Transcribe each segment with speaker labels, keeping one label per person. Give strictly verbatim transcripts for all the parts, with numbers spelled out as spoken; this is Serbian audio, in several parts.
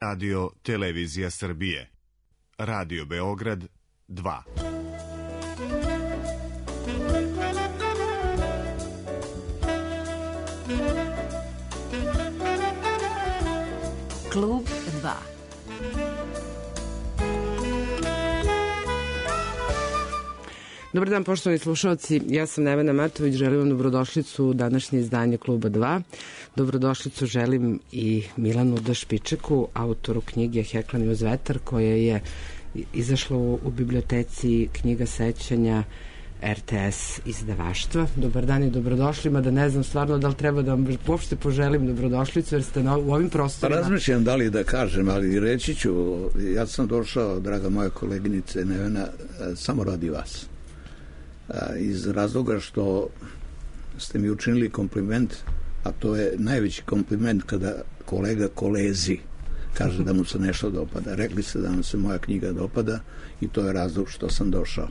Speaker 1: Radio Televizija Srbije. Radio Beograd dva.
Speaker 2: Klub dva. Dobar dan, poštovani slušalci, ja sam Nevena Matović, želim vam dobrodošlicu u današnje izdanje Kluba dva. Dobrodošlicu želim i Milanu D. Špičeku, autoru knjige Heklan uz vetar, koja je izašla u biblioteci Knjiga sećanja R T S izdavaštva. Dobar dan i dobrodošli, mada ne znam stvarno da li treba da vam uopšte poželim dobrodošlicu, jer ste na, u ovim prostorima. Pa
Speaker 3: razmišljam da li da kažem, ali reći ću, ja sam došao, draga moja koleginice Nevena, samo radi vas. Iz razloga što ste mi učinili kompliment, a to je najveći kompliment kada kolega kolezi kaže da mu se nešto dopada. Rekli ste da mu se moja knjiga dopada i to je razlog što sam došao.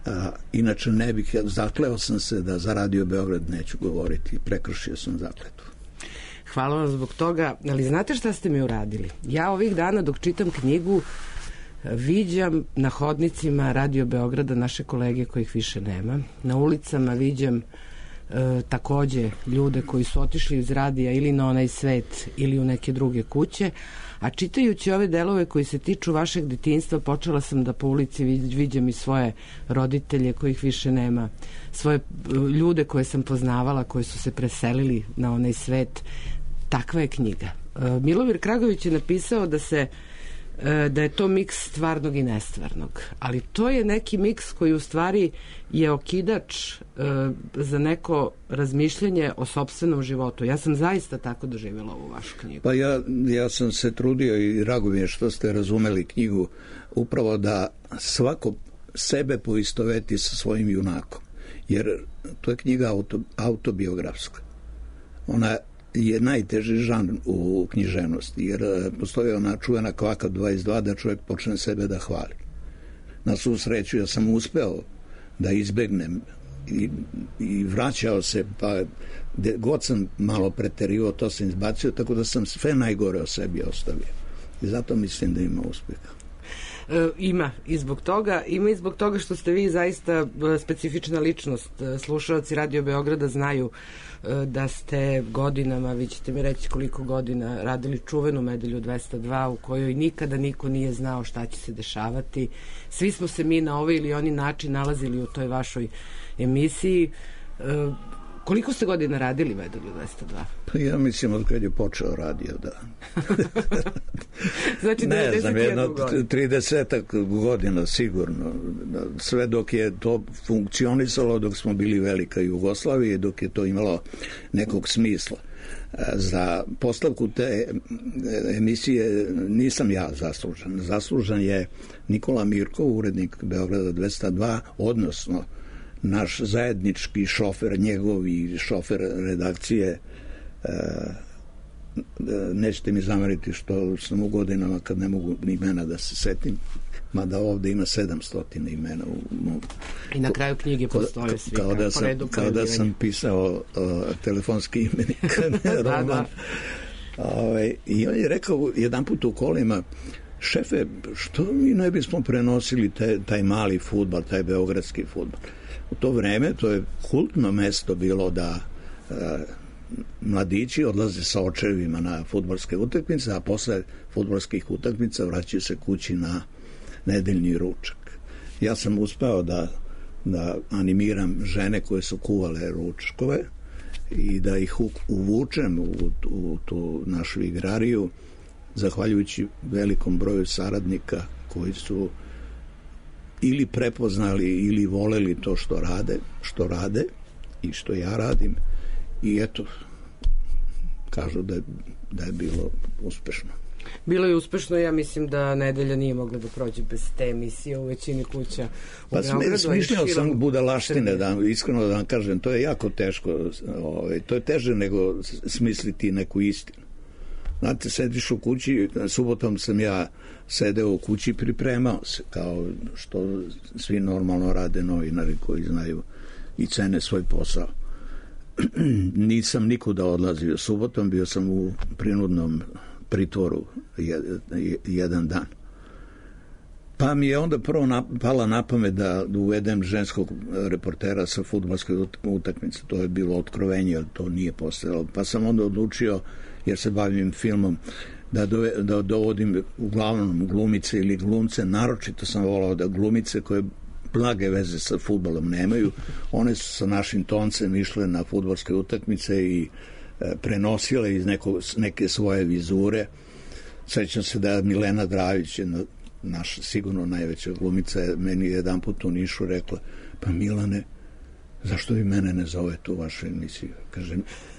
Speaker 3: A, inače ne bih, zakleo sam se da za Radio Beograd neću govoriti, prekršio sam zakletvu.
Speaker 2: Hvala vam zbog toga, ali znate šta ste mi uradili? Ja ovih dana dok čitam knjigu viđam na hodnicima Radio Beograda naše kolege kojih više nema. Na ulicama viđam e, takođe ljude koji su otišli iz radija ili na onaj svet ili u neke druge kuće, a čitajući ove delove koji se tiču vašeg detinjstva počela sam da po ulici viđam i svoje roditelje kojih više nema, svoje ljude koje sam poznavala koji su se preselili na onaj svet. Takva je knjiga. E, Milovir Kragović je napisao da se da je to miks stvarnog i nestvarnog, ali to je neki miks koji u stvari je okidač e, za neko razmišljanje o sopstvenom životu. Ja sam zaista tako doživjela ovu vašu knjigu.
Speaker 3: Pa ja, ja sam se trudio i drago mi je što ste razumeli knjigu upravo da svako sebe poistoveti sa svojim junakom, jer to je knjiga auto, autobiografska. Ona je najteži žanr u književnosti, jer postoji ona čuvena kvaka dvadeset dva da čovjek počne sebe da hvali. Na svu sreću ja sam uspeo da izbegnem i, i vraćao se, pa god sam malo preterivao, to sam izbacio, tako da sam sve najgore o sebi ostavio. I zato mislim da ima uspeha.
Speaker 2: E, ima i zbog toga, ima i zbog toga što ste vi zaista specifična ličnost. Slušalci Radio Beograda znaju da ste godinama, vi ćete mi reći koliko godina, radili čuvenu Nedelju dvesta dva u kojoj nikada niko nije znao šta će se dešavati. Svi smo se mi na ovaj ili oni način nalazili u toj vašoj emisiji. E, koliko ste godina radili Nedelju dvesta dva?
Speaker 3: Pa ja mislim od kad je počeo radio, da.
Speaker 2: Znači
Speaker 3: ne znam, jedno tridesetak godina sigurno. Sve dok je to funkcionisalo, dok smo bili velika Jugoslavija, dok je to imalo nekog smisla. Za postavku te emisije nisam ja zaslužan. Zaslužan je Nikola Mirkov, urednik Beograda dvesta dva, odnosno naš zajednički šofer, njegov i šofer redakcije. Nećete mi zameriti što sam u godinama kad ne mogu ni imena da se setim, mada ovde ima sedamsto imena u mom.
Speaker 2: I na kraju knjige postoje svi
Speaker 3: kao da sam, kao da sam pisao uh, telefonski imenik roman. Da, da. Ove, i on je rekao jedan put u kolima: šefe, što mi ne bismo prenosili te, taj mali fudbal, taj beogradski fudbal. U to vreme to je kultno mesto bilo da uh, mladići odlaze sa očevima na fudbalske utakmice, a posle fudbalskih utakmica vraćaju se kući na nedeljni ručak. Ja sam uspeo da, da animiram žene koje su kuvale ručkove i da ih uvučem u, u tu našu igrariju, zahvaljujući velikom broju saradnika koji su ili prepoznali ili voleli to što rade, što rade i što ja radim. I eto, kažu da je, da je bilo uspešno.
Speaker 2: Bilo je uspešno, ja mislim da Nedelja nije mogla da prođe bez te emisije u većini kuća u
Speaker 3: pa
Speaker 2: Beogradu.
Speaker 3: Pa smišljao sam budalaštine, da, iskreno da vam kažem, to je jako teško, ovaj, to je teže nego smisliti neku istinu. Znate, sediš u kući, subotom sam ja sedeo u kući i pripremao se, kao što svi normalno rade novinari koji znaju i cene svoj posao. Nisam nikuda odlazio subotom, bio sam u prinudnom pritvoru jedan dan. Pa mi je onda prvo na, pala na pamet da uvedem ženskog reportera sa fudbalske utakmice. To je bilo otkrovenje, ali to nije postojalo. Pa sam onda odlučio, jer se bavim filmom, da, dove, da dovodim uglavnom glumice ili glumce. Naročito sam volao da glumice koje blage veze sa fudbalom nemaju, one su sa našim toncem išle na fudbalske utakmice i e, prenosile iz neko, neke svoje vizure. Sećam se da Milena Dravić, jedna naša sigurno najveća glumica, meni jedan put u Nišu rekla, pa Milane, zašto vi mene ne zovete u vašu emisiju? Kaže,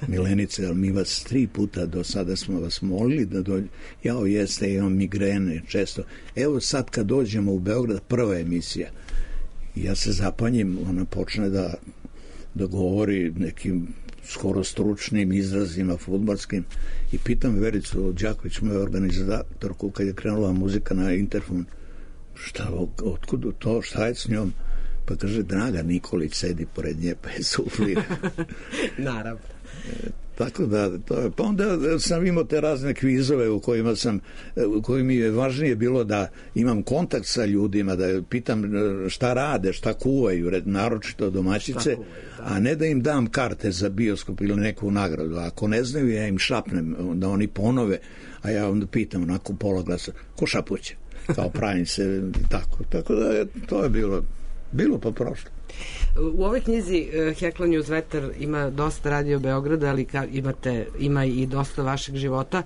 Speaker 3: Milenice, ali mi vas tri puta do sada smo vas molili da dođe. Jao, jeste, imam migrene često. Evo sad kad dođemo u Beograd, prva emisija. Ja se zapanjim, ona počne da, da govori nekim skoro stručnim izrazima fudbalskim i pitam Vericu Đaković, moju organizatorku, kad je krenula muzika na interfon, šta, otkud to, šta je s njom? Pa kaže, Draga Nikolić sedi pored nje, pa je suflira.
Speaker 2: Naravno.
Speaker 3: E, tako da, to je, pa onda sam imao te razne kvizove u kojima sam, u kojima mi je važnije bilo da imam kontakt sa ljudima, da pitam šta rade, šta kuvaju, naročito domaćice, kuvaju, da. A ne da im dam karte za bioskop ili neku nagradu. Ako ne znaju, ja im šapnem, da oni ponove, a ja onda pitam onako pola glasa, ko šapuće? Kao pravim se, tako. Tako da je, to je bilo, bilo pa prošlo.
Speaker 2: U ovoj knjizi Heklanje uz vetar ima dosta Radio Beograda, ali ka, imate, ima i dosta vašeg života.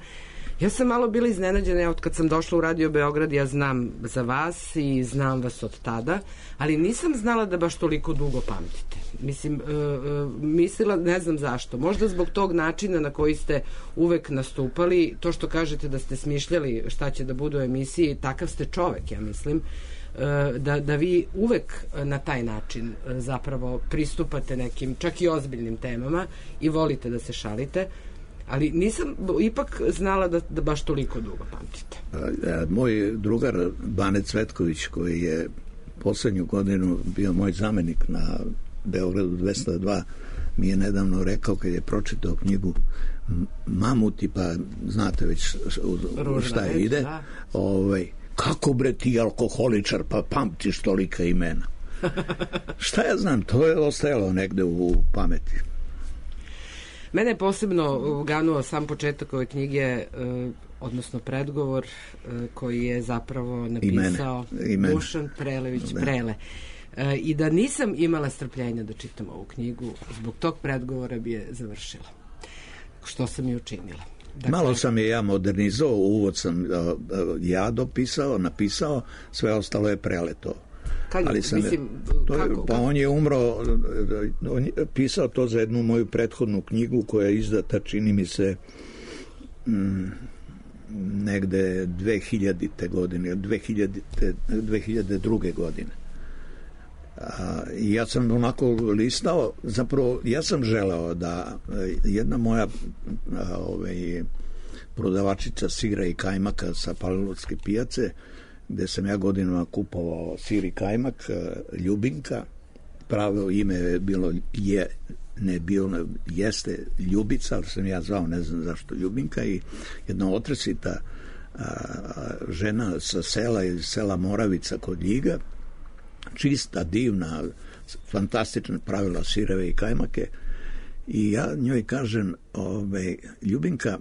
Speaker 2: Ja sam malo bila iznenađena, od kad sam došla u Radio Beograd, ja znam za vas i znam vas od tada, ali nisam znala da baš toliko dugo pamtite. Mislim, uh, uh, mislila, ne znam zašto, možda zbog tog načina na koji ste uvek nastupali, to što kažete da ste smišljali šta će da bude u emisiji, takav ste čovek, ja mislim, Da, da vi uvek na taj način zapravo pristupate nekim čak i ozbiljnim temama i volite da se šalite, ali nisam ipak znala da, da baš toliko dugo pamtite.
Speaker 3: Moj drugar Bane Cvetković, koji je poslednju godinu bio moj zamenik na Beogradu dvesta dva, mi je nedavno rekao, kad je pročitao knjigu Mamuti, pa znate već šta je ide, da. ovaj kako bre ti alkoholičar pa pamtiš tolika imena. Šta ja znam, to je ostajalo negde u pameti.
Speaker 2: Mene je posebno ganuo sam početak ove knjige, odnosno predgovor koji je zapravo napisao Imene. Dušan Prelević da. Prele. I da nisam imala strpljenja da čitam ovu knjigu, zbog tog predgovora bi je završila. Što sam i učinila. Dakle,
Speaker 3: malo sam je ja modernizao, uvod sam ja dopisao, napisao, sve ostalo je Preleto.
Speaker 2: Kad, ali sam mislim,
Speaker 3: to,
Speaker 2: kako,
Speaker 3: pa
Speaker 2: kako?
Speaker 3: on je umro, on je pisao to za jednu moju prethodnu knjigu koja je izdata, čini mi se, mm, negde dve hiljadite godine, dve hiljadite, dve hiljade druge godine. A, ja sam onako listao, zapravo ja sam želeo da jedna moja a, ovaj, prodavačica sira i kajmaka sa Palilovske pijace, gde sam ja godinama kupovao sir i kajmak, Ljubinka, pravo ime je bilo je, ne bilo, jeste Ljubica, ali sam ja zvao, ne znam zašto Ljubinka, i jedna otresita a, žena sa sela, iz sela Moravica kod Ljiga, čista, divna, fantastična, pravila sireve i kajmake, i ja njoj kažem, ove, Ljubinka,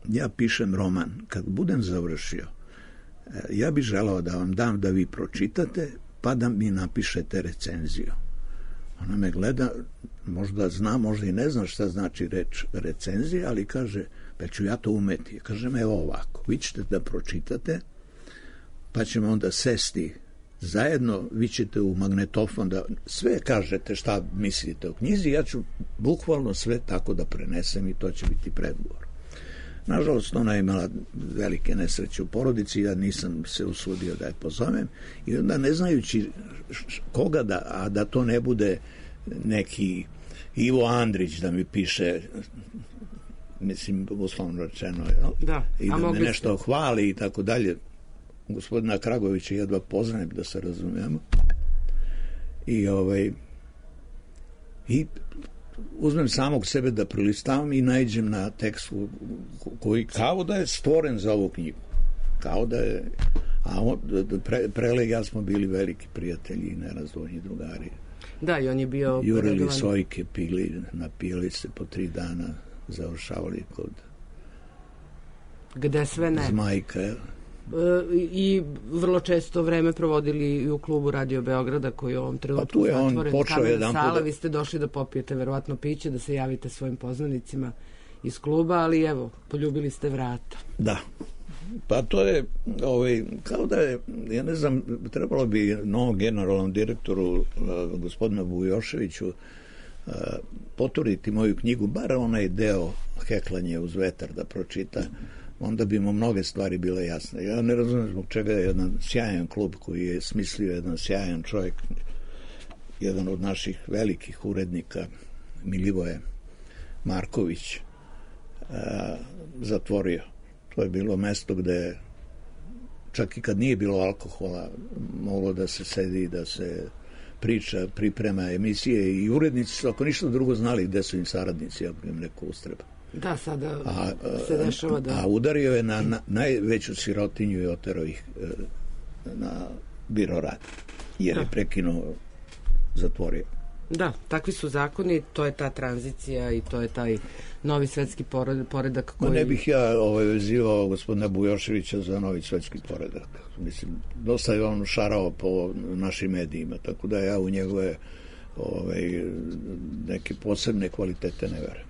Speaker 3: ja pišem roman, kad budem završio, ja bih želao da vam dam da vi pročitate, pa da mi napišete recenziju. Ona me gleda, možda zna, možda i ne zna šta znači reč recenzija, ali kaže, pa ću ja to umeti. Kažem, evo ovako, vi ćete da pročitate, pa ćemo onda sesti zajedno, vi ćete u magnetofon da sve kažete šta mislite o knjizi, ja ću bukvalno sve tako da prenesem i to će biti predgovor. Nažalost, ona je imala velike nesreće u porodici, ja nisam se usudio da je pozovem, i onda ne znajući koga da, a da to ne bude neki Ivo Andrić da mi piše, mislim, uslovno rečeno,
Speaker 2: da,
Speaker 3: i da me nešto ste... hvali i tako dalje. Gospodina Kragovića jedva poznajem, da se razumijemo. I ovaj i uzmem samog sebe da prilistavam i naiđem na tekst koji kao da je stvoren za ovu knjigu. Kao da je... A on, pre, Prele i ja smo bili veliki prijatelji i nerazdvojni drugari.
Speaker 2: Da, i on je bio...
Speaker 3: Jurili
Speaker 2: redovan...
Speaker 3: sojke, pili, napijeli se po tri dana, završavali kod...
Speaker 2: Gde sve ne.
Speaker 3: Zmajka, je.
Speaker 2: I vrlo često vreme provodili i u klubu Radio Beograda koji je u ovom trenutku
Speaker 3: pa
Speaker 2: zatvoren.
Speaker 3: Kamen
Speaker 2: sala,
Speaker 3: da...
Speaker 2: vi ste došli da popijete verovatno piće, da se javite svojim poznanicima iz kluba, ali evo, poljubili ste vrata.
Speaker 3: Da. Pa to je, ovaj, kao da je, ja ne znam, trebalo bi novom generalnom direktoru, uh, gospodinu Bujoševiću, uh, poturiti moju knjigu, bar onaj deo Heklanje uz vetar da pročita, onda bi mu mnoge stvari bile jasne. Ja ne razumijem zbog čega je jedan sjajan klub koji je smislio jedan sjajan čovjek, jedan od naših velikih urednika, Milivoje Marković, uh, zatvorio. To je bilo mesto gde čak i kad nije bilo alkohola moglo da se sedi, da se priča, priprema emisije i urednici su ako ništa drugo znali gde su im saradnici ako im neko ustreba.
Speaker 2: Da, sada
Speaker 3: a,
Speaker 2: se dešava da...
Speaker 3: A udario je na, na najveću sirotinju i oterao ih na biro rad jer je prekinuo, zatvorio.
Speaker 2: Da, takvi su zakoni, to je ta tranzicija i to je taj novi svetski poredak koji...
Speaker 3: Ma ne bih ja ovaj, vezivao gospodina Bujoševića za novi svetski poredak. Mislim, dosta je on šarao po našim medijima, tako da ja u njegove ovaj, neke posebne kvalitete ne verujem.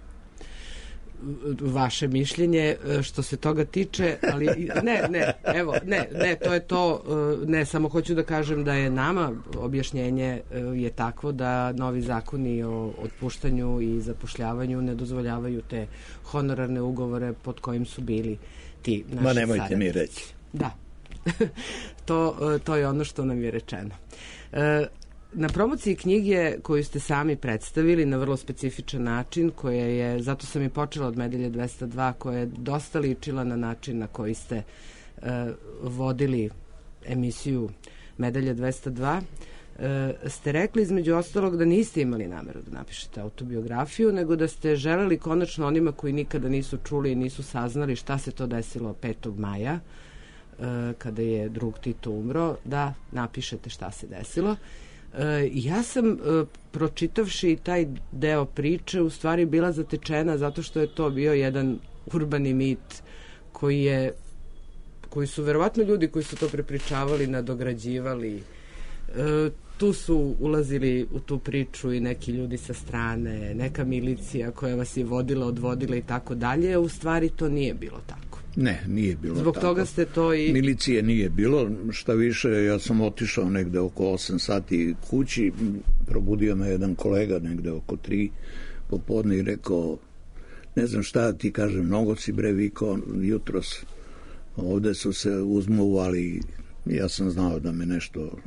Speaker 2: Vaše mišljenje što se toga tiče, ali ne, ne, evo, ne, ne, to je to, ne, samo hoću da kažem da je nama objašnjenje je takvo da novi zakoni o otpuštanju i zapošljavanju ne dozvoljavaju te honorarne ugovore pod kojim su bili ti naši
Speaker 3: Ma nemojte
Speaker 2: saradnici.
Speaker 3: mi reći.
Speaker 2: Da, to, to je ono što nam je rečeno. E, Na promociji knjige koju ste sami predstavili na vrlo specifičan način, koja je, zato sam i počela od Medalje dvesta dva, koja je dosta ličila na način na koji ste uh, vodili emisiju Medalje dvesta dva, uh, ste rekli između ostalog da niste imali nameru da napišete autobiografiju, nego da ste želeli konačno onima koji nikada nisu čuli i nisu saznali šta se to desilo petog maja, uh, kada je drug Tito umro, da napišete šta se desilo. Uh, ja sam uh, pročitavši taj deo priče u stvari bila zatečena zato što je to bio jedan urbani mit koji je koji su verovatno ljudi koji su to prepričavali nadograđivali. Uh, tu su ulazili u tu priču i neki ljudi sa strane, neka milicija koja vas je vodila, odvodila i tako dalje, u stvari to nije bilo tako.
Speaker 3: Ne, nije bilo
Speaker 2: Zbog
Speaker 3: tako.
Speaker 2: toga ste to i...
Speaker 3: Milicije nije bilo, šta više, ja sam otišao negde oko osam sati kući, probudio me jedan kolega negde oko tri popodne i rekao, ne znam šta ti kažem, mnogo si bre vikao jutros, ovde su se uzmuvali, ja sam znao da me nešto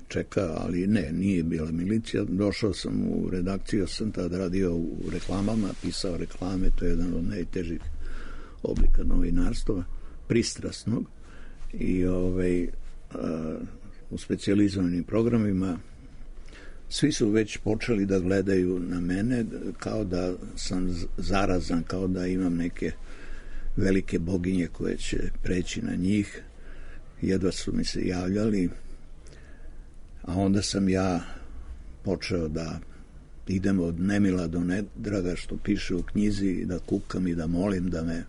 Speaker 3: čeka, ali ne, nije bila milicija. Došao sam u redakciju, ja sam tad radio u reklamama, pisao reklame, to je jedan od najtežih oblika novinarstva, pristrasnog i ovaj, a, u specijalizovanim programima svi su već počeli da gledaju na mene kao da sam zarazan, kao da imam neke velike boginje koje će preći na njih. Jedva su mi se javljali, a onda sam ja počeo da idem od nemila do nedraga, što piše u knjizi, da kukam i da molim da me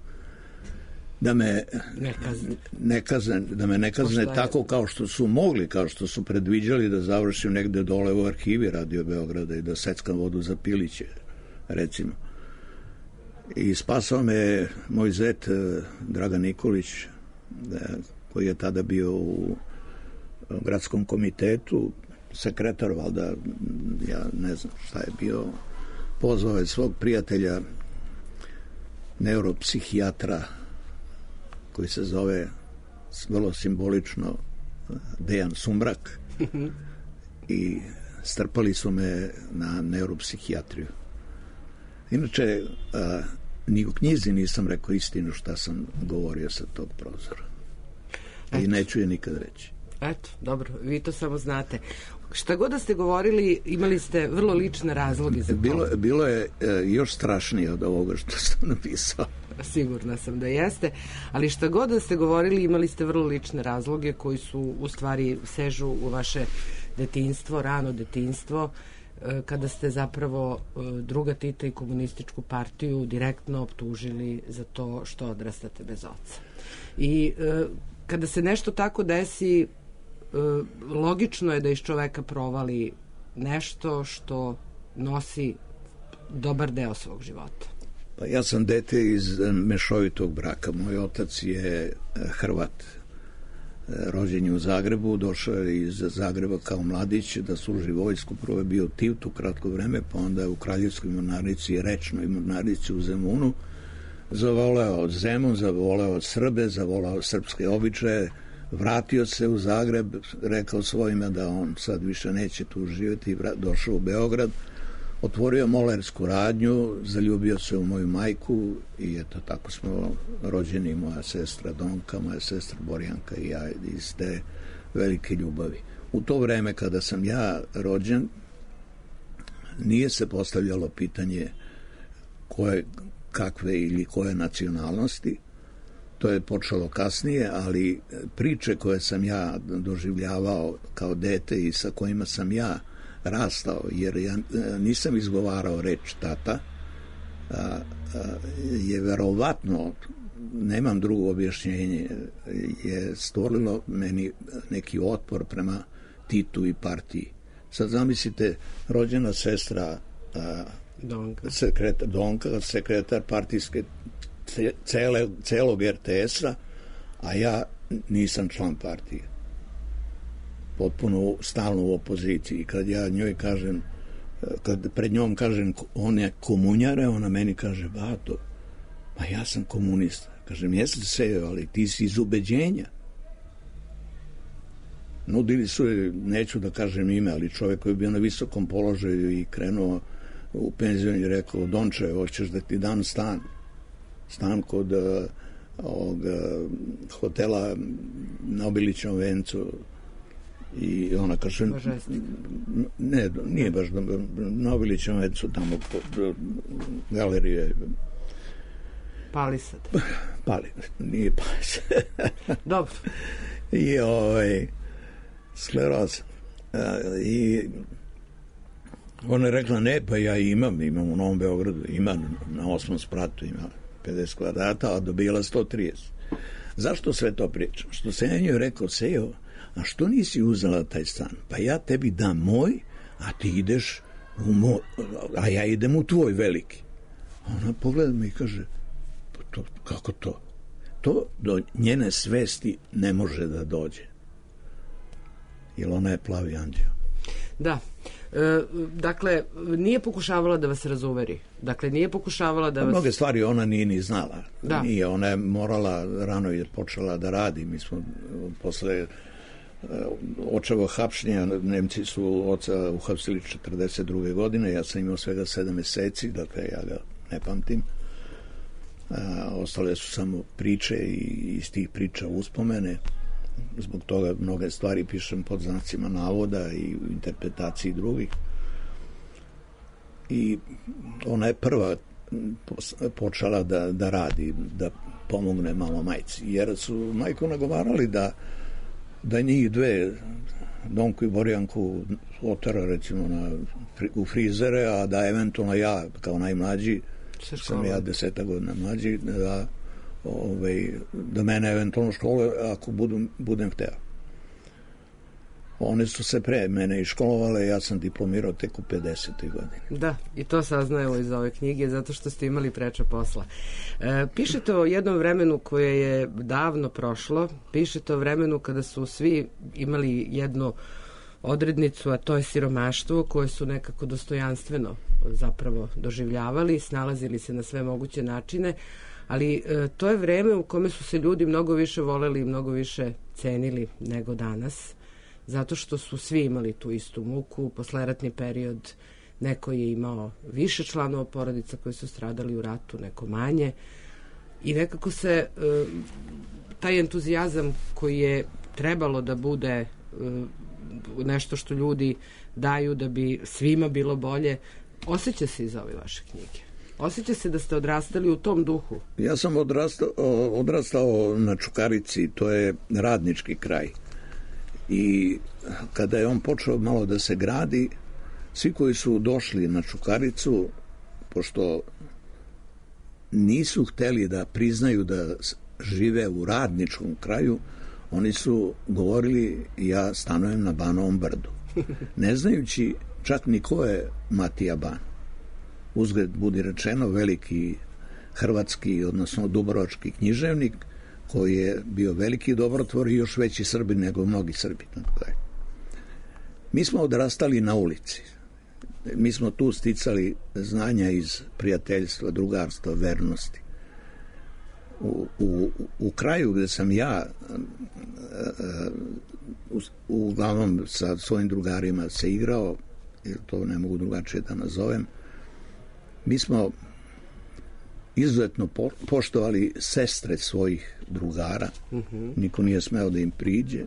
Speaker 3: da me ne kazne, ne kazne da me ne kazne tako kao što su mogli, kao što su predviđali da završim negde dole u arhivi Radio Beograda i da seckam vodu za piliće, recimo. I spasao me moj zet Dragan Nikolić, koji je tada bio u gradskom komitetu, sekretar, valjda, ja ne znam šta je bio, pozvao je svog prijatelja neuropsihijatra koji se zove vrlo simbolično Dejan Sumrak i strpali su me na neuropsihijatriju. Inače, a, ni u knjizi nisam rekao istinu šta sam govorio sa tog prozora. I neću je nikad reći.
Speaker 2: Eto, dobro, vi to samo znate. Šta god da ste govorili, imali ste vrlo lične razloge za to.
Speaker 3: Bilo, bilo je e, još strašnije od ovoga što sam napisao.
Speaker 2: Sigurna sam da jeste, ali šta god da ste govorili, imali ste vrlo lične razloge koji su u stvari sežu u vaše detinjstvo, rano detinjstvo, kada ste zapravo druga Tita i komunističku partiju direktno optužili za to što odrastate bez oca. I kada se nešto tako desi, logično je da iz čoveka provali nešto što nosi dobar deo svog života.
Speaker 3: Pa ja sam dete iz mešovitog braka. Moj otac je Hrvat. Rođen je u Zagrebu, došao je iz Zagreba kao mladić da služi vojsku. Prvo je bio Tivtu kratko vreme, pa onda je u Kraljevskoj mornarici, rečnoj mornarici u Zemunu. Zavoleo Zemun, zavoleo Srbe, zavoleo srpske običaje, vratio se u Zagreb, rekao svojima da on sad više neće tu živjeti i došao u Beograd. Otvorio molersku radnju, zaljubio se u moju majku i eto tako smo rođeni, moja sestra Donka, moja sestra Borjanka i ja iz te velike ljubavi. U to vreme kada sam ja rođen, nije se postavljalo pitanje koje, kakve ili koje nacionalnosti. To je počelo kasnije, ali priče koje sam ja doživljavao kao dete i sa kojima sam ja rastao, jer ja nisam izgovarao reč tata, a, a, je verovatno, nemam drugo objašnjenje, je stvorilo meni neki otpor prema Titu i partiji. Sad zamislite, rođena sestra a,
Speaker 2: Donka.
Speaker 3: Sekretar, Donka, sekretar partijske cele, celog er te es-a, a ja nisam član partije. Potpuno stalno u opoziciji. Kad ja njoj kažem, kad pred njom kažem on je komunjare, ona meni kaže, bato, pa ja sam komunista. Kažem, jesi se, ali ti si iz ubeđenja. Nudili su, neću da kažem ime, ali čovjek koji je bio na visokom položaju i krenuo u penziju i rekao, Donče, hoćeš da ti dam stan? Stan kod uh, ovog, uh, hotela na Obilićnom vencu. I ona kaže, ne, nije baš na Obilićnom vencu, tamo po galerije.
Speaker 2: Palisad.
Speaker 3: Pali, nije Palisad.
Speaker 2: Dobro.
Speaker 3: I ovaj, skleroza. I ona je rekla, ne, pa ja imam, imam u Novom Beogradu, imam na osmom spratu, ima pedeset kvadrata, a dobila sto trideset. Zašto sve to pričam? Što se ja njoj rekao, Sejo, a što nisi uzela taj stan? Pa ja tebi dam moj, a ti ideš u moj, a ja idem u tvoj veliki. Ona pogleda me i kaže, pa to, kako to? To do njene svesti ne može da dođe. Jer ona je plavi anđeo.
Speaker 2: Da. E, dakle, nije pokušavala da vas razuveri. Dakle, nije pokušavala da vas...
Speaker 3: Mnoge stvari ona nije ni znala.
Speaker 2: Da.
Speaker 3: Nije, ona je morala, rano je počela da radi. Mi smo posle očevo hapšnja, Nemci su oca uhapsili četrdeset druge godine, ja sam imao svega sedam meseci, dakle ja ga ne pamtim. A, ostale su samo priče i iz tih priča uspomene. Zbog toga mnoge stvari pišem pod znacima navoda i u interpretaciji drugih. I ona je prva počela da, da radi, da pomogne malo majci, jer su majku nagovarali da da njih dve, Donku i Borjanku, otara recimo na, u frizere, a da eventualno ja, kao najmlađi, sam ja deseta godina mlađi, da, ovaj, da mene eventualno škole, ako budem, budem hteo. One su se pre mene i školovale, ja sam diplomirao tek u pedesetoj godini.
Speaker 2: Da, i to saznajemo iz ove knjige, zato što ste imali preča posla. E, pišete o jednom vremenu koje je davno prošlo, pišete o vremenu kada su svi imali jednu odrednicu, a to je siromaštvo, koje su nekako dostojanstveno zapravo doživljavali, snalazili se na sve moguće načine, ali e, to je vreme u kome su se ljudi mnogo više voleli i mnogo više cenili nego danas, zato što su svi imali tu istu muku. Posleratni period, neko je imao više članova porodica koji su stradali u ratu, neko manje, i nekako se e, taj entuzijazam koji je trebalo da bude nešto što ljudi daju da bi svima bilo bolje, osjeća se iz ove vaše knjige. Osjeća se da ste odrastali u tom duhu.
Speaker 3: Ja sam odrastao, odrastao na Čukarici, to je radnički kraj. I kada je on počeo malo da se gradi, svi koji su došli na Čukaricu, pošto nisu hteli da priznaju da žive u radničkom kraju, oni su govorili ja stanujem na Banovom brdu. Ne znajući čak ni ko je Matija Ban. Uzgled budi rečeno veliki hrvatski, odnosno dubrovački književnik koji je bio veliki dobrotvor i još veći Srbin nego mnogi Srbi. Mi smo odrastali na ulici. Mi smo tu sticali znanja iz prijateljstva, drugarstva, vernosti. U, u, u kraju gde sam ja u, uglavnom sa svojim drugarima se igrao, jer to ne mogu drugačije da nazovem, mi smo izuzetno po, poštovali sestre svojih drugara. Uh-huh. Niko nije smeo da im priđe.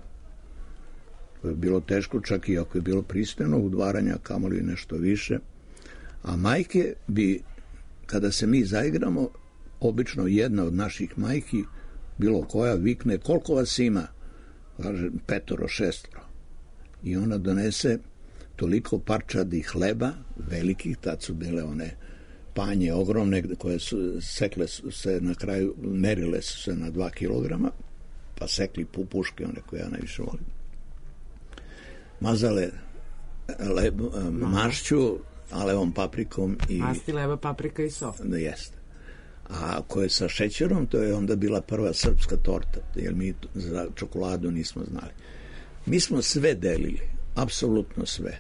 Speaker 3: To je bilo teško, čak i ako je bilo pristojno udvaranja, kamoli nešto više. A majke bi, kada se mi zaigramo, obično jedna od naših majki, bilo koja, vikne koliko vas ima? Kaže petoro, šestoro. I ona donese toliko parčadi hleba, velikih, tad su bile one panje ogromne, koje su sekle su se na kraju, merile su se na dva kilograma, pa sekli pupuške, one koje ja najviše volim. Mazale leb, mašću, alevom paprikom i...
Speaker 2: Masti, leba, paprika i so.
Speaker 3: Da, jeste. A ko je sa šećerom, to je onda bila prva srpska torta, jer mi za čokoladu nismo znali. Mi smo sve delili, apsolutno sve.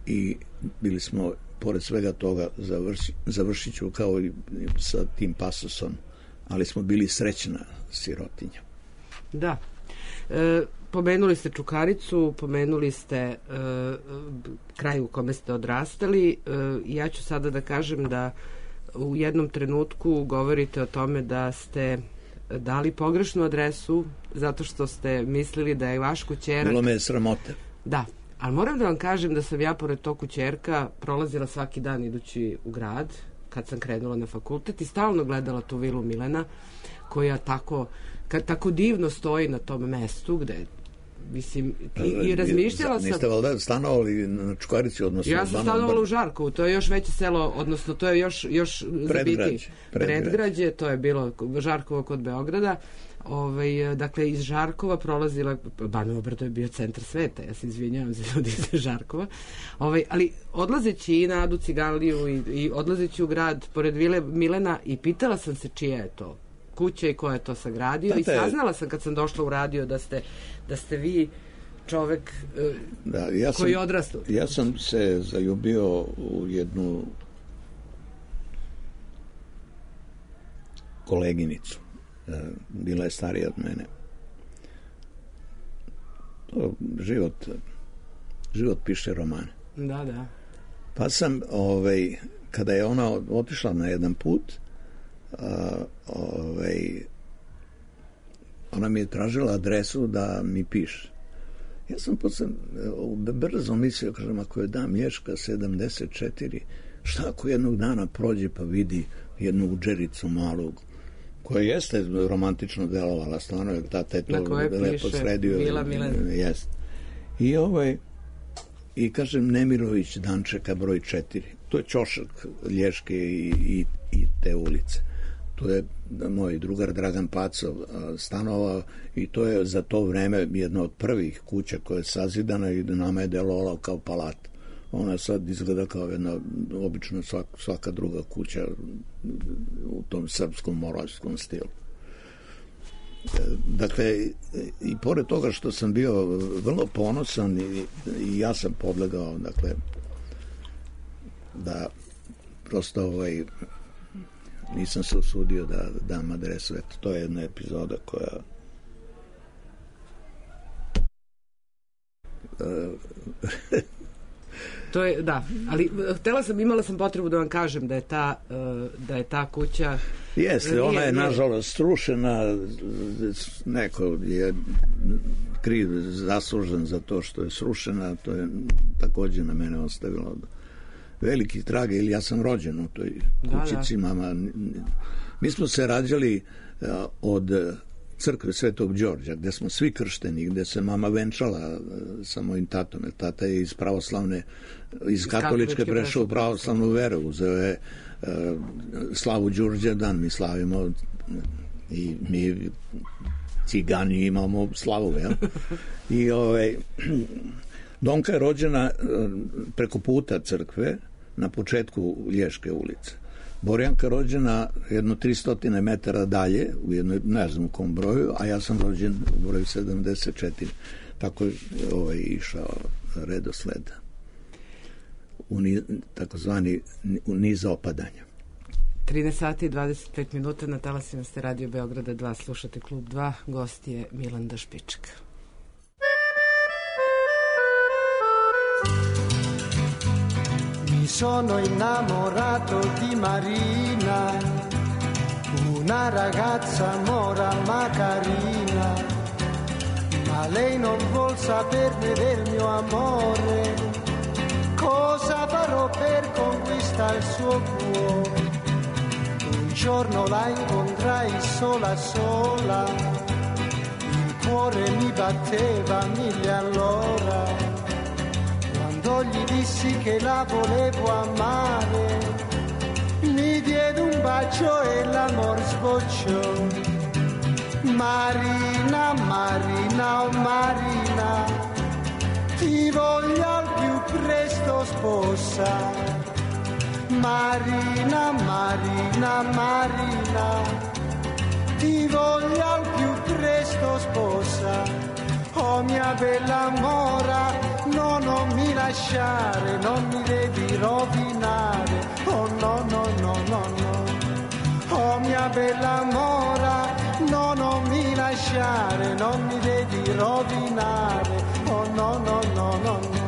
Speaker 3: I bili smo, pored svega toga, završi, završit ću kao i sa tim pasusom, ali smo bili srećna sirotinja.
Speaker 2: Da. E, pomenuli ste Čukaricu, pomenuli ste e, kraj u kome ste odrastali. E, ja ću sada da kažem da u jednom trenutku govorite o tome da ste dali pogrešnu adresu zato što ste mislili da je vaš kućerak...
Speaker 3: Bilo me je sramote.
Speaker 2: Da, ali moram da vam kažem da sam ja pored tog kućerka prolazila svaki dan idući u grad kad sam krenula na fakultet i stalno gledala tu vilu Milena koja tako, kad, tako divno stoji na tom mestu gde mislim, i, i razmišljala sam...
Speaker 3: Niste valjda stanovali na Čukarici, odnosno...
Speaker 2: Ja sam stanovala u Žarkovu, to je još veće selo, odnosno to je još, još
Speaker 3: predgrađe,
Speaker 2: predgrađe. predgrađe, to je bilo Žarkovo kod Beograda. Ovaj, dakle, iz Žarkova prolazila, Banovo brdo je bio centar sveta, ja se izvinjavam za ljudi iz Žarkova, ovaj, ali odlazeći i na Adu Ciganliju i, i odlazeći u grad pored vile Milena i pitala sam se čija je to kuća i ko je to sagradio. Tate, i saznala sam kad sam došla u radio da ste, da ste vi čovek
Speaker 3: da, ja
Speaker 2: koji
Speaker 3: sam,
Speaker 2: odrastao.
Speaker 3: Ja sam se zaljubio u jednu koleginicu. Bila je starija od mene. To život, život piše romane.
Speaker 2: Da, da.
Speaker 3: Pa sam, ovaj, kada je ona otišla na jedan put, a, ovaj, ona mi je tražila adresu da mi piše. Ja sam posle brzo mislio, kažem, ako je da Mlješka sedamdeset četiri, šta ako jednog dana prođe pa vidi jednu udžericu malog, koja jeste romantično delovala, stvarno je tata je to lepo sredio.
Speaker 2: Mila Milen.
Speaker 3: Jest. I ovaj, i kažem Nemirović Dančeka broj četiri. To je ćošak Lješke i, i, i te ulice. To je moj drugar Dragan Pacov stanovao i to je za to vreme jedna od prvih kuća koja je sazidana i nama je delovala kao palat. Ona sad izgleda kao jedna obično svaka, svaka druga kuća u tom srpskom moravskom stilu. Dakle, i pored toga što sam bio vrlo ponosan i, i ja sam podlegao, dakle, da prosto ovaj, nisam se usudio da dam adresu. Eto, to je jedna epizoda koja
Speaker 2: To je, da, ali htela sam, imala sam potrebu da vam kažem da je ta, da je ta kuća...
Speaker 3: Jeste, ona je nažalost srušena, neko je kriv, zaslužen za to što je srušena, to je takođe na mene ostavilo veliki trag, ili ja sam rođen u toj kućici, da, da. Mama. Mi smo se rađali od crkve Svetog Đorđa, gde smo svi kršteni, gde se mama venčala sa mojim tatom. Tata je iz pravoslavne, iz katoličke prešao u pravoslavnu veru, uzeo je uh, slavu Đurđevdan, mi slavimo i mi cigani imamo slavu, jel? I ovaj, Donka je rođena preko puta crkve na početku Lješke ulice. Borjanka rođena jedno tristo metara dalje, u jednoj, ne znam u kom broju, a ja sam rođen u broju sedamdeset četiri. Tako je ovaj, išao redosled u ni, takozvani u niz opadanja.
Speaker 2: trinaest sati i dvadeset pet minuta, na talasima ste Radio Beograda dva, slušate Klub dva, gost je Milanda Špiček.
Speaker 4: Mi sono innamorato di Marina, una ragazza mora ma carina, ma lei non vuol saperne del mio amore, cosa farò per conquistare il suo cuore? Un giorno la incontrai sola sola, il cuore mi batteva mille all'ora, quando gli dissi che la volevo amare, mi diede un bacio e l'amor sbocciò. Marina, Marina, oh Marina, ti voglio al più presto sposa. Marina, Marina, Marina, ti voglio al più presto sposa. Oh mia bella mora, no, non mi lasciare, non mi devi rovinare. Oh no, no, no, no, no. Oh mia bella mora, no, non mi lasciare, non mi devi rovinare. Oh no, no, no, no, no.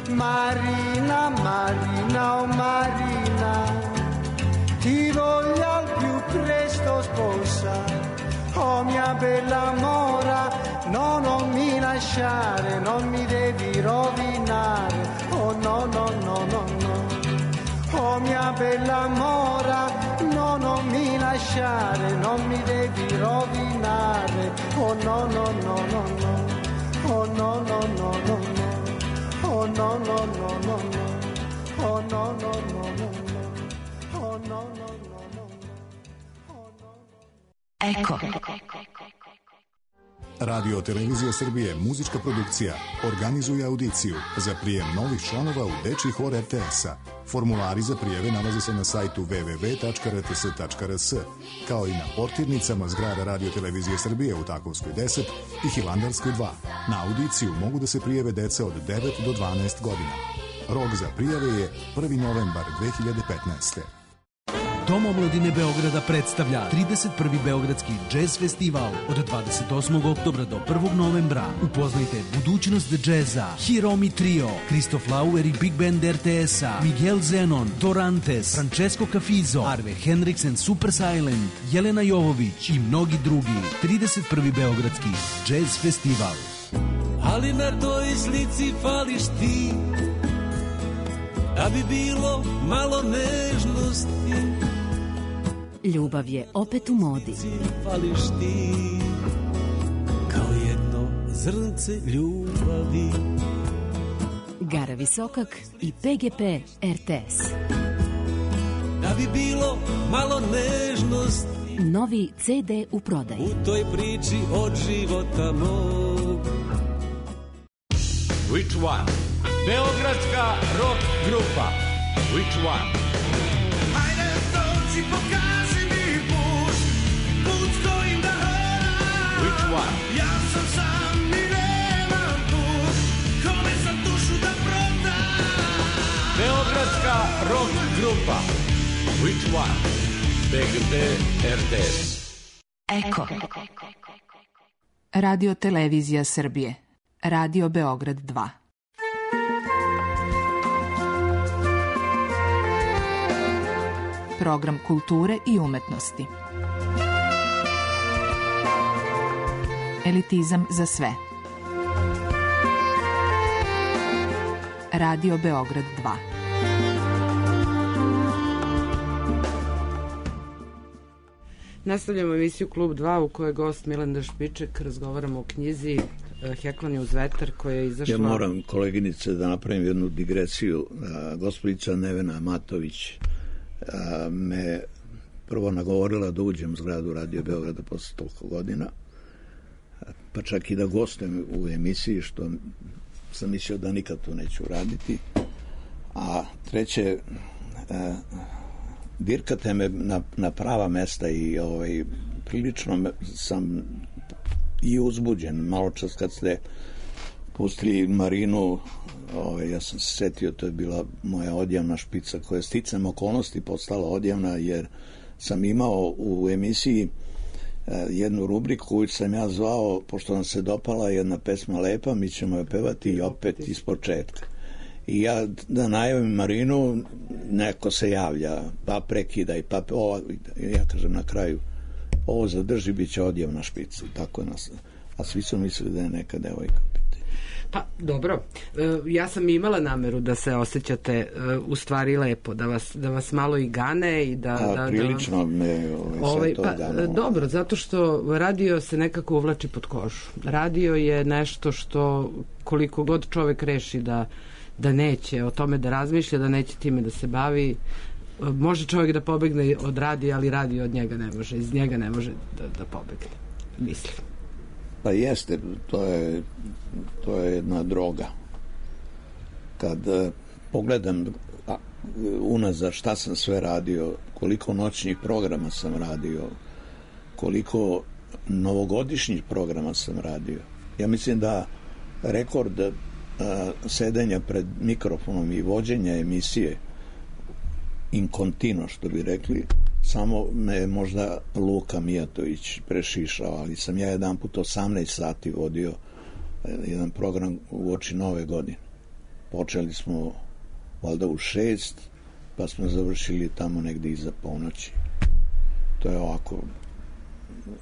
Speaker 4: Marina, Marina, oh Marina, ti voglio al più presto sposa. Oh mia bella mora, no, non mi lasciare, non mi devi rovinare. Oh no, no, no, no, no. Oh mia bella mora, no, non mi lasciare, non mi devi rovinare. Oh no, no, no, no, no. Oh no, no, no, no, no. Oh no, no, no, no, no. Oh no, no, no, no, no. Oh no, no, no, no, no. Oh no, no.
Speaker 5: Eko.
Speaker 1: Radio Televizija Srbije, muzička produkcija, organizuje audiciju za prijem novih članova u dečiji hor er te es-a. Formulari za prijeve nalaze se na sajtu w w w tačka r t s tačka r s, kao i na portirnicama zgrada Radio Televizije Srbije u Takovskoj deset i Hilandarskoj dva. Na audiciju mogu da se prijeve deca od devet do dvanaest godina. Rok za prijave je prvi novembar dve hiljade petnaeste.
Speaker 6: Dom omladine Beograda predstavlja trideset prvi Beogradski džez festival od dvadeset osmog oktobra do prvog novembra. Upoznajte budućnost džeza, Hiromi Trio, Kristof Lauer i Big Band er te es-a, Miguel Zenon, Dorantes, Francesco Cafizo, Arve Henriks and Super Silent, Jelena Jovović i mnogi drugi. trideset prvi Beogradski džez festival.
Speaker 7: Ali na toj slici fališ ti, da bi bilo malo nežnosti.
Speaker 5: Ljubav je opet u modi.
Speaker 7: Fališ ti, kao jedno zrnce ljubavi.
Speaker 5: Gara Visokak i P G P R T S.
Speaker 7: Da bi bilo malo nežnosti,
Speaker 5: novi C D u prodaji.
Speaker 7: U toj priči od života mog.
Speaker 8: Which one? Beogradska rock grupa. Which one?
Speaker 9: Hajde, dođi, pokaži mi put, put kojim da hodam.
Speaker 8: Which one?
Speaker 9: Ja sam sam i nemam put, kome sam dušu da prodam.
Speaker 8: Beogradska rock grupa. Which one? P G P R T S.
Speaker 10: Eko. Radio Televizija Srbije. Radio Beograd dva. Program kulture i umetnosti. Elitizam za sve. Radio Beograd dva.
Speaker 2: Nastavljamo emisiju Klub dva u kojoj je gost Milenda Špiček. Razgovaramo o knjizi Heklanje uz vetar koja je izašla...
Speaker 3: Ja moram, koleginice, da napravim jednu digresiju. Gospodica Nevena Matović me prvo nagovorila da uđem u zgradu Radio Beograda posle toliko godina, pa čak i da gostujem u emisiji, što sam mislio da nikad to neću raditi. A treće, dirkate me na, na prava mesta i ovaj, prilično sam i uzbuđen. Malo čas kad ste pustili Marinu, ovaj, ja sam se setio, to je bila moja odjavna špica koja je sticam okolnosti postala odjavna, jer sam imao u emisiji eh, jednu rubriku koju sam ja zvao, pošto vam se dopala jedna pesma lepa, mi ćemo je pevati i opet iz početka. I ja da najavim Marinu, neko se javlja, pa prekidaj, pa ova, ja kažem na kraju, ovo zadrži, bit će odjavna špica. Tako nas, a svi su mislili da je neka devojka.
Speaker 2: Pa, dobro. Ja sam imala nameru da se osjećate u stvari lepo, da vas, da vas malo i gane i da...
Speaker 3: A,
Speaker 2: da,
Speaker 3: prilično
Speaker 2: da,
Speaker 3: me ovaj,
Speaker 2: ovaj,
Speaker 3: to
Speaker 2: pa,
Speaker 3: gano.
Speaker 2: Dobro, zato što radio se nekako uvlači pod kožu. Radio je nešto što koliko god čovek reši da, da neće o tome da razmišlja, da neće time da se bavi, može čovjek da pobegne od radija, ali radio od njega ne može, iz njega ne može da, da pobegne, mislim.
Speaker 3: Pa jeste, to je, to je jedna droga. Kad uh, pogledam a, unazad šta sam sve radio, koliko noćnih programa sam radio, koliko novogodišnjih programa sam radio. Ja mislim da rekord uh, sedenja pred mikrofonom i vođenja emisije in continuo, što bi rekli, samo me je možda Luka Mijatović prešišao, ali sam ja jedan put osamnaest sati vodio jedan program u oči nove godine. Počeli smo valjda u šest, pa smo završili tamo negde iza ponoći. To je ovako,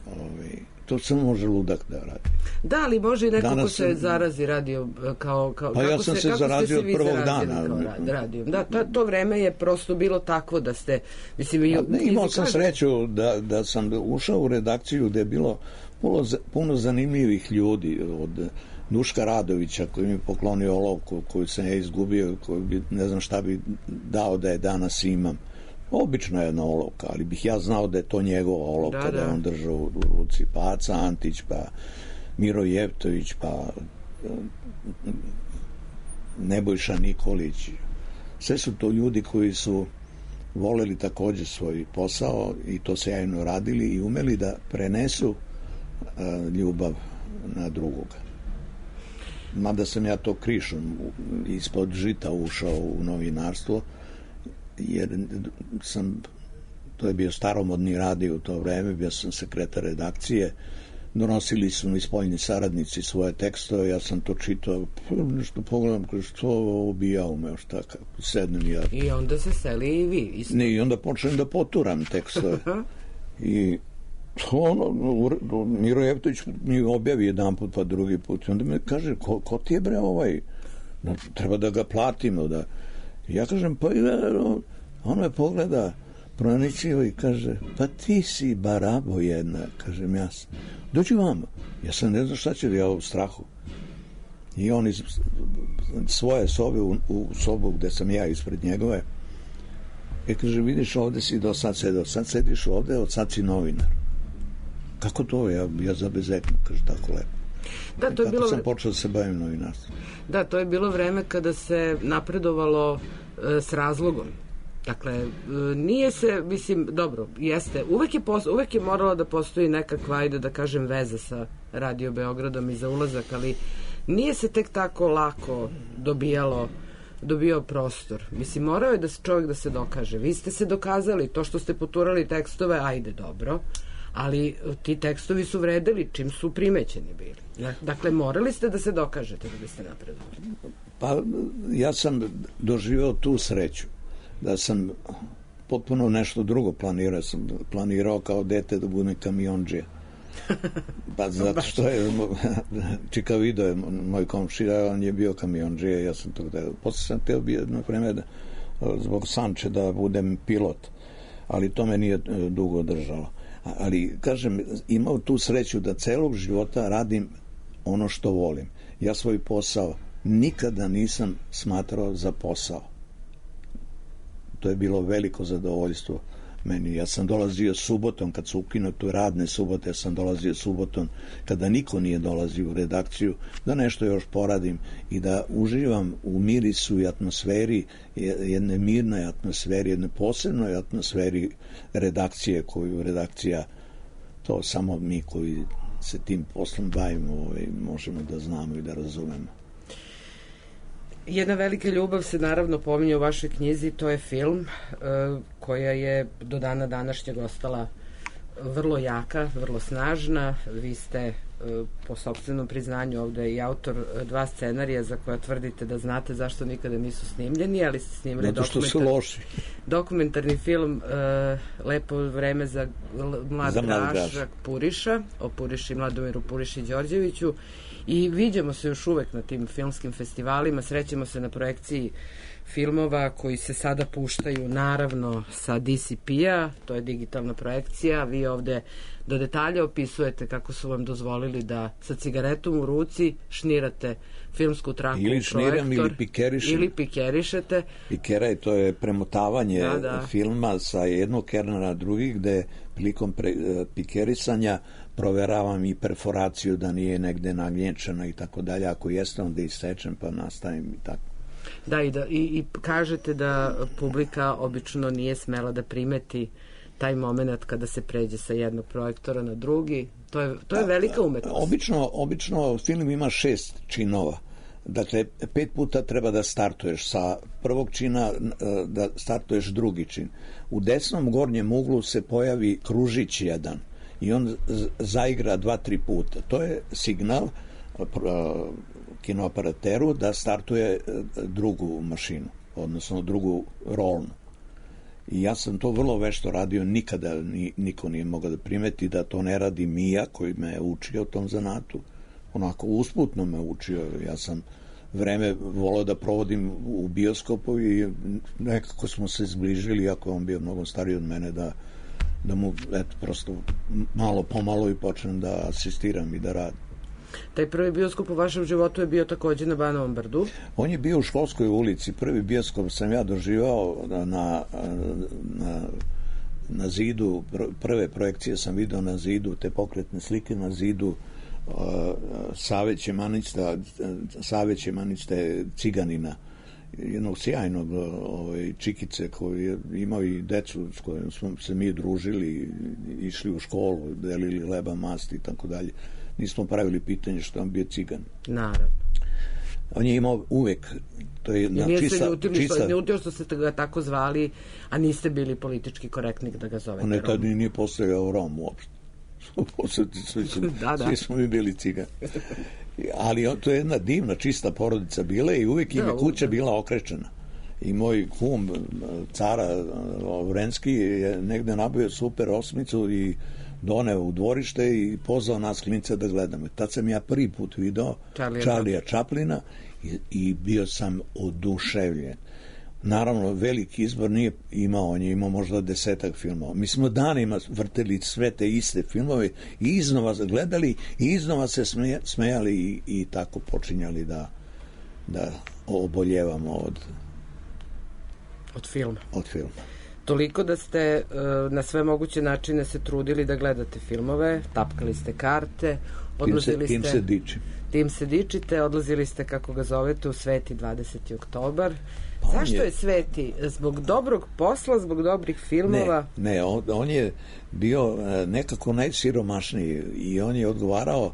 Speaker 3: ovaj, to samo može ludak da radi.
Speaker 2: Da, ali može i neko
Speaker 3: Danas
Speaker 2: ko se
Speaker 3: sam...
Speaker 2: zarazi radio kao... kao
Speaker 3: pa ja sam se, se zarazio od prvog dana.
Speaker 2: Radio. Da, to, to vreme je prosto bilo takvo da ste... Mislim, i,
Speaker 3: ne, imao sam sreću da, da sam ušao u redakciju gde je bilo puno, puno zanimljivih ljudi, od Duška Radovića koji mi poklonio olovku koju sam ja izgubio, koju bi, ne znam šta bi dao da je danas imam. Obično jedna olovka, ali bih ja znao da je to njegova olovka, da, da. da je on držao u ruci. Pa Aca Antić, pa Miro Jevtović, pa Nebojša Nikolić. Sve su to ljudi koji su voleli takođe svoj posao i to sjajno radili i umeli da prenesu uh, ljubav na drugoga. Mada sam ja to krišom ispod žita ušao u novinarstvo, jer sam, to je bio staromodni radio u to vreme, bio sam sekretar redakcije, donosili su mi spoljni saradnici svoje tekstove, ja sam to čitao, nešto pogledam, što ovo bi ja umeo, šta, kako sednem ja.
Speaker 2: I onda se seli i vi. Isto.
Speaker 3: Ne, i onda počnem da poturam tekstove. I ono, Miro Jevtović mi objavi jedan put, pa drugi put, i onda me kaže, ko, ko ti je bre ovaj, no, treba da ga platimo, da... Ja kažem, pa on me pogleda pronicljivo i kaže, pa ti si barabo jedna, kažem ja sam. Dođi vama. Ja sam ne znam šta će, ja u strahu. I on iz svoje sobe u, u sobu gde sam ja ispred njegove, i kaže, vidiš, ovde si do sad sedeo, sad sediš ovde, od sad si novinar. Kako to? Ja, ja zabezeknu, kaže, tako lepo.
Speaker 2: Da, to je
Speaker 3: tako
Speaker 2: bilo...
Speaker 3: sam počeo da se bavim novinarstvom.
Speaker 2: Da, to je bilo vreme kada se napredovalo e, s razlogom. Dakle, e, nije se, mislim, dobro, jeste, uvek je, pos, uvek je morala da postoji nekakva, ajde da kažem, veza sa Radio Beogradom i za ulazak, ali nije se tek tako lako dobijalo dobio prostor. Mislim, morao je da se čovjek da se dokaže. Vi ste se dokazali, to što ste poturali tekstove, ajde, dobro, ali ti tekstovi su vredeli čim su primećeni bili. Dakle, morali ste da se dokažete da biste napredovali.
Speaker 3: Pa, ja sam doživeo tu sreću da sam potpuno nešto drugo planirao. Sam planirao kao dete da budem kamionđija. Pa zato što je Čika Vido je moj komšija, on je bio kamionđija, ja sam to gledao. Posle sam teo bio jedno vreme da, zbog Sanče da budem pilot, ali to me nije dugo držalo. Ali, kažem, imao tu sreću da celog života radim ono što volim. Ja svoj posao nikada nisam smatrao za posao. To je bilo veliko zadovoljstvo meni. Ja sam dolazio subotom, kad su ukinuto radne subote, ja sam dolazio subotom, kada niko nije dolazio u redakciju, da nešto još poradim i da uživam u mirisu i atmosferi, jedne mirnoj atmosferi, jedne posebnoj atmosferi redakcije, koju redakcija, to samo mi koji se tim poslom bavimo, ovaj, možemo da znamo i da razumemo.
Speaker 2: Jedna velika ljubav se naravno pominje u vašoj knjizi, to je film, koja je do dana današnjeg ostala vrlo jaka, vrlo snažna. Vi ste po sopstvenom priznanju ovde i autor dva scenarija za koja tvrdite da znate zašto nikada nisu snimljeni, ali ste snimili dokumentar... dokumentarni film Lepo vreme za mlad Grašak Puriša, o Puriši, Mladomiru Puriši Đorđeviću. I viđamo se još uvek na tim filmskim festivalima, srećemo se na projekciji filmova koji se sada puštaju naravno sa D C P-a, to je digitalna projekcija. Vi ovde do detalja opisujete kako su vam dozvolili da sa cigaretom u ruci šnirate filmsku traku
Speaker 3: ili
Speaker 2: u projektor.
Speaker 3: Šniram, ili pikerišem.
Speaker 2: Ili pikerišete.
Speaker 3: Pikeraj, to je premotavanje
Speaker 2: da, da.
Speaker 3: filma sa jednog kernera na drugi, gde prilikom pre, pikerisanja proveravam i perforaciju da nije negde nagljenčana i tako dalje. Ako jeste, onda isečem pa nastavim i tako.
Speaker 2: Da, i, da, i, i kažete da publika obično nije smela da primeti taj moment kada se pređe sa jednog projektora na drugi. To je, to je velika umetnost.
Speaker 3: Obično, obično film ima šest činova. Dakle, pet puta treba da startuješ sa prvog čina, da startuješ drugi čin. U desnom gornjem uglu se pojavi kružić jedan i on zaigra dva, tri puta. To je signal kinoaparateru da startuje drugu mašinu, odnosno drugu rolnu. I ja sam to vrlo vešto radio, nikada ni, niko nije mogao da primeti da to ne radi Mija, koji me je učio tom zanatu. Onako usputno me učio. Ja sam vreme volao da provodim u bioskopu i nekako smo se zbližili, iako on bio mnogo stariji od mene, da, da mu eto, prosto malo pomalo i počnem da asistiram i da radim.
Speaker 2: Taj prvi bioskop u vašem životu je bio takođe na Banovom brdu?
Speaker 3: On je bio u Školskoj ulici. Prvi bioskop sam ja doživao na, na, na zidu, prve projekcije sam video na zidu, te pokretne slike na zidu uh, Save Ćemanista, Save Ćemaniste Ciganina, jednog sjajnog ovaj, čikice koji je imao i decu s kojom smo se mi družili, išli u školu, delili leba, masti i tako dalje. Nismo pravili pitanje što on bio cigan.
Speaker 2: Naravno.
Speaker 3: On je imao uvek, to je na
Speaker 2: nije
Speaker 3: čista...
Speaker 2: se ljutili,
Speaker 3: čista...
Speaker 2: što, ljutio što ste ga tako zvali, a niste bili politički korektni da ga zovete
Speaker 3: on je tad nije postojao Rom uopšte. svi, su, da, da. svi smo mi bili cigani. Ali to je jedna divna, čista porodica bila i uvek im je da, kuća bila okrečena. I moj kum, cara Vrenski, je negde nabavio super osmicu i doneo u dvorište i pozvao nas klince da gledamo. Tad sam ja prvi put video Charlija Chaplina i, i bio sam oduševljen. naravno veliki izbor nije imao, on je imao možda desetak filmova. Mi smo danima vrteli sve te iste filmove i iznova gledali i iznova se smeja, smejali i, i tako počinjali da, da oboljevamo od
Speaker 2: od filma.
Speaker 3: Od filma.
Speaker 2: Toliko da ste uh, na sve moguće načine se trudili da gledate filmove, tapkali ste karte, odlazili
Speaker 3: tim se,
Speaker 2: ste...
Speaker 3: Tim se dičim.
Speaker 2: Tim se dičite, odlazili ste, kako ga zovete, u Sveti dvadeseti oktobar. Pa zašto je... je Sveti? Zbog dobrog posla, zbog dobrih filmova?
Speaker 3: Ne, ne on, on je bio nekako najsiromašniji i on je odgovarao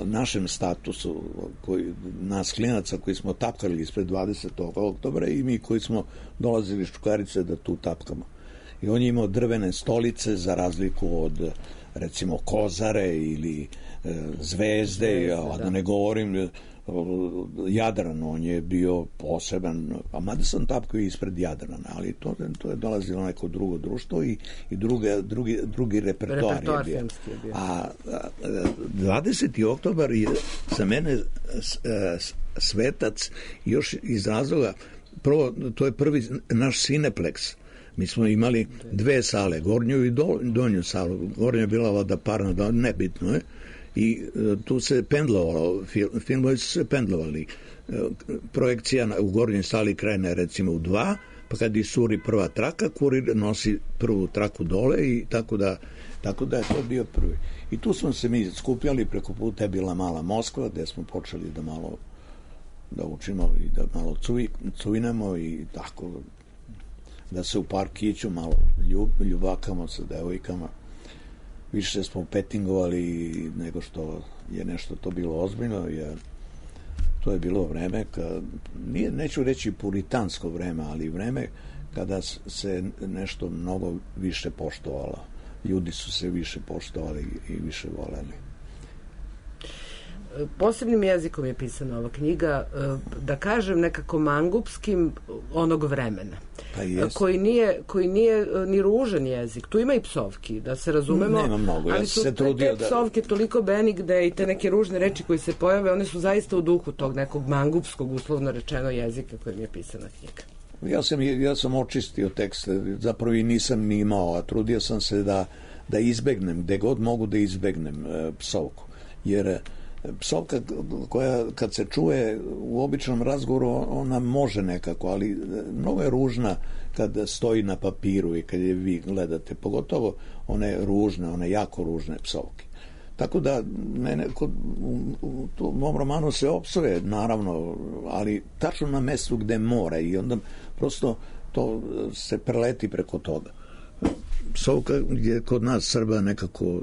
Speaker 3: našem statusu, koji, nas klinaca koji smo tapkali ispred dvadesetog oktobra i mi koji smo dolazili iz Čukarice da tu tapkamo. I on je imao drvene stolice za razliku od recimo Kozare ili e, Zvezde, Zvezde, a da ne govorim Jadran, on je bio poseban, a mada sam tapkao ispred Jadrana, ali to, to je dolazilo neko drugo društvo i, i druge, drugi, drugi repertoar, repertoar je bio. Je bio. A, a dvadeseti oktobar je za mene svetac još iz razloga, prvo, to je prvi naš Cineplex. Mi smo imali dve sale, gornju i do, donju salu. Gornja je bila vada parna, nebitno je. I e, tu se pendlovalo, fil, filmovi su se pendlovali. E, projekcija na, u gornjoj sali krene recimo u dva, pa kad isuri prva traka, kurir nosi prvu traku dole i tako da, tako da je to bio prvi. I tu smo se mi skupljali, preko puta je bila Mala Moskva, gde smo počeli da malo da učimo i da malo cuj, cujnemo i tako da se u parkiću malo ljub, ljubakamo sa devojkama. Više smo petingovali nego što je nešto to bilo ozbiljno, jer to je bilo vreme kad, nije, neću reći puritansko vreme, ali vreme kada se nešto mnogo više poštovalo. Ljudi su se više poštovali i više voleli.
Speaker 2: Posebnim jezikom je pisana ova knjiga, da kažem nekako mangupskim onog vremena,
Speaker 3: pa
Speaker 2: koji nije, koji nije ni ružan jezik. Tu ima i psovki, da se razumemo.
Speaker 3: Nema mnogo, ja
Speaker 2: ali su
Speaker 3: se trudio
Speaker 2: te psovke da... toliko benigde i te neke ružne reči koje se pojave, one su zaista u duhu tog nekog mangupskog, uslovno rečeno, jezika kojim je pisana knjiga.
Speaker 3: Ja sam, ja sam očistio tekst, zapravo i nisam ni imao, a trudio sam se da, da izbegnem, gde god mogu da izbegnem e, psovku. Jer psovka koja kad se čuje u običnom razgovoru ona može nekako, ali mnogo je ružna kad stoji na papiru i kad je vi gledate, pogotovo one ružne, one jako ružne psovke. Tako da mene kod, u, u, u mom romanu se opsuje naravno, ali tačno na mestu gde mora i onda prosto to se preleti preko toga. Psovka je kod nas Srba nekako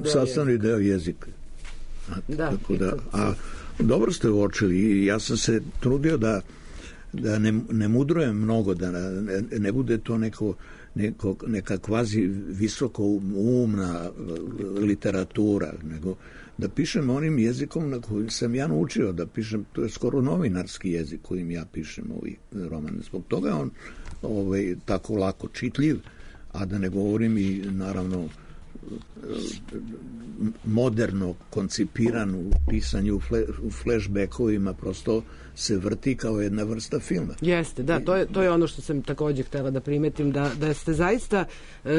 Speaker 3: sastavni deo jezika. A,
Speaker 2: da,
Speaker 3: tako da, a dobro ste uočili i ja sam se trudio da, da ne, ne mudrujem mnogo, da ne, ne bude to neko, neko, neka kvazi visoko umna literatura, nego da pišem onim jezikom na kojim sam ja naučio da pišem, to je skoro novinarski jezik kojim ja pišem ovaj roman. Zbog toga on ovaj, tako lako čitljiv, a da ne govorim i naravno moderno koncipiran u pisanju u flashbackovima, prosto se vrti kao jedna vrsta filma.
Speaker 2: Jeste, da, to je, to je ono što sam takođe htela da primetim, da, da ste zaista,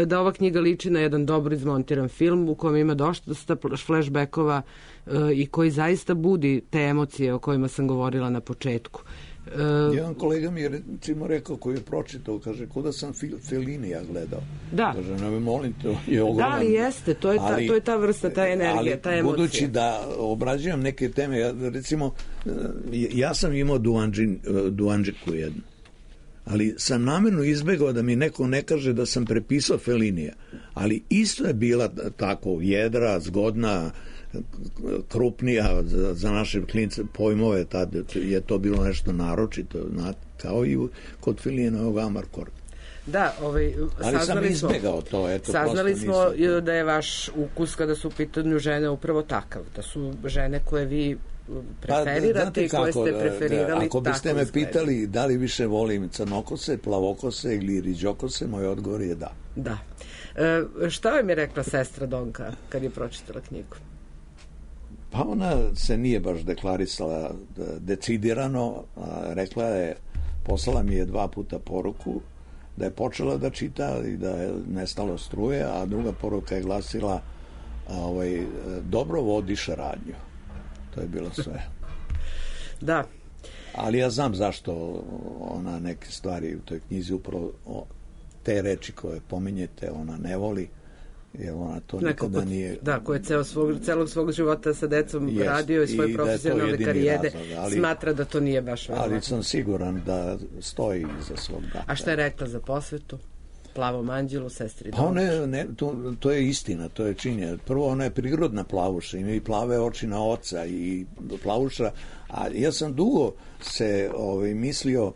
Speaker 2: da ova knjiga liči na jedan dobro izmontiran film u kojem ima dosta flashbackova i koji zaista budi te emocije o kojima sam govorila na početku.
Speaker 3: Uh, Jedan kolega mi je recimo rekao, koji je pročitao, kaže, kuda sam Fellini ja gledao.
Speaker 2: Da.
Speaker 3: Kaže, ne me molim, to je ogroman.
Speaker 2: Da, ali jeste, to je ta,
Speaker 3: ali,
Speaker 2: to je ta vrsta, ta energija,
Speaker 3: ali,
Speaker 2: ta emocija.
Speaker 3: Budući da obrađujem neke teme, ja, recimo, ja sam imao duanđin, duanđiku jednu, ali sam namjerno izbegao da mi neko ne kaže da sam prepisao Fellinija, ali isto je bila tako jedra, zgodna, krupnija za, za naše klince pojmove, tad je to bilo nešto naročito, kao i kod Fellinovog Amarkorda.
Speaker 2: Da, ovaj,
Speaker 3: ali sam izbegao to. Eto,
Speaker 2: saznali smo
Speaker 3: nisam...
Speaker 2: da je vaš ukus kada su u pitanju žene upravo takav, da su žene koje vi preferirate pa, i koje ste preferirali.
Speaker 3: Ako biste me pitali da li više volim crnokose, plavokose ili riđokose, moj odgovor je da.
Speaker 2: Da. E, šta vam je rekla sestra Donka kad je pročitala knjigu?
Speaker 3: Pa ona se nije baš deklarisala decidirano, a rekla je poslala mi je dva puta poruku da je počela da čita i da je nestalo struje, a druga poruka je glasila ovaj, dobro vodiš radnju. To je bilo sve.
Speaker 2: Da.
Speaker 3: Ali ja znam zašto ona neke stvari u toj knjizi, upravo te reči koje pominjete, ona ne voli, jer ona to
Speaker 2: Neko
Speaker 3: nikada
Speaker 2: pot,
Speaker 3: nije...
Speaker 2: Da, ko je ceo svog, celog svog života sa decom jest, radio i svoje i profesionalne karijere, razlog, ali, smatra da to nije baš verovatno.
Speaker 3: Ali sam siguran da stoji iza svog dana.
Speaker 2: A šta je rekla za posvetu? Plavom anđelu, sestri
Speaker 3: Pa ne, ne, to, to je istina, to je činjenje. Prvo, ona je prirodna plavuša, ima i plave oči na oca i plavuša, a ja sam dugo se ovaj, mislio,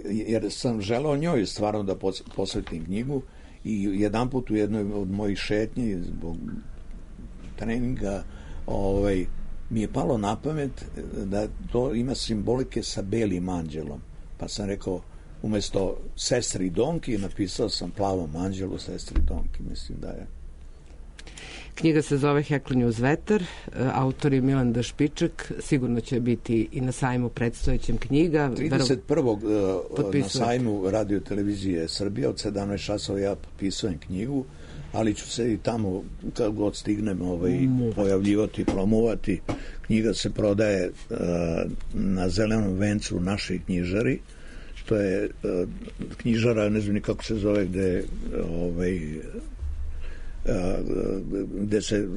Speaker 3: jer sam želeo njoj stvarno da posvetim knjigu, i jedan put u jednoj od mojih šetnji zbog treninga ovaj, mi je palo na pamet da to ima simbolike sa belim anđelom, pa sam rekao umesto sestri Donki napisao sam plavom anđelu sestri Donki. Mislim da je.
Speaker 2: Knjiga se zove Heklanje uz vetar, autor je Milan D. Špičak, sigurno će biti i na sajmu predstojećem knjiga.
Speaker 3: trideset prvog na sajmu Radio televizije Srbije od sedamnaest časova ja potpisujem knjigu, ali ću se i tamo kad god stignem ovaj, pojavljivati, promovati. Knjiga se prodaje uh, na Zelenom vencu u našoj knjižari. To je uh, knjižara, ne znam ni kako se zove, gde ovaj, gde se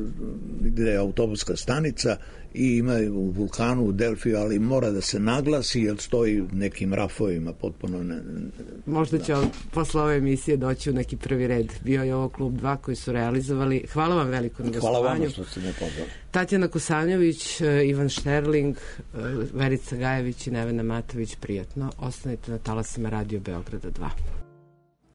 Speaker 3: gde je autobuska stanica i ima u Vulkanu u Delfiju, ali mora da se naglasi jer stoji nekim rafovima potpuno ne,
Speaker 2: možda će da. Posle ove emisije doći u neki prvi red. Bio je ovo Klub dva koji su realizovali. Hvala vam veliko na gostovanju.
Speaker 3: Hvala vam što ste me pozvali.
Speaker 2: Tatjana Kosanjović, Ivan Šterling, Verica Gajević i Nevena Matović, prijatno. Ostanite na talasima Radio Beograda dva.